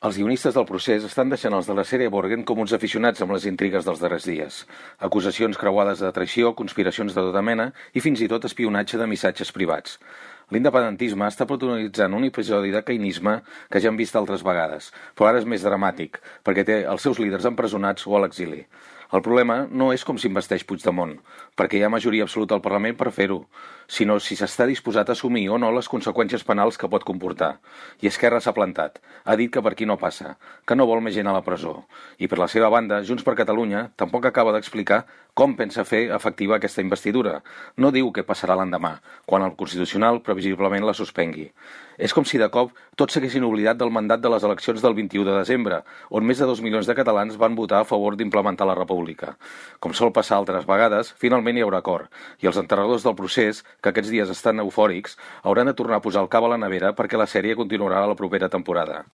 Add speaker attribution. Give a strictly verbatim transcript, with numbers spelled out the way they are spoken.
Speaker 1: Els guionistes del procés estan deixant els de la sèrie Borgen com uns aficionats amb les intrigues dels darrers dies. Acusacions creuades de traïció, conspiracions de tota mena i fins i tot espionatge de missatges privats. L'independentisme està protagonitzant un episodi de caïnisme que ja hem vist altres vegades, però ara és més dramàtic, perquè té els seus líders empresonats o a l'exili. El problema no és com s'investeix Puigdemont, perquè hi ha majoria absoluta al Parlament per fer-ho, sinó si s'està disposat a assumir o no les conseqüències penals que pot comportar. I Esquerra s'ha plantat, ha dit que per aquí no passa, que no vol més gent a la presó. I per la seva banda, Junts per Catalunya tampoc acaba d'explicar com pensa fer efectiva aquesta investidura. No diu què passarà l'endemà, quan el Constitucional previsiblement la suspengui. És com si de cop tots s'haguessin oblidat del mandat de les eleccions del vint-i-u de desembre, on més de dos milions de catalans van votar a favor d'implementar la República. Com sol passar altres vegades, finalment hi haurà acord, i els enterradors del procés, que aquests dies estan eufòrics, hauran de tornar a posar el cap a la nevera perquè la sèrie continuarà a la propera temporada.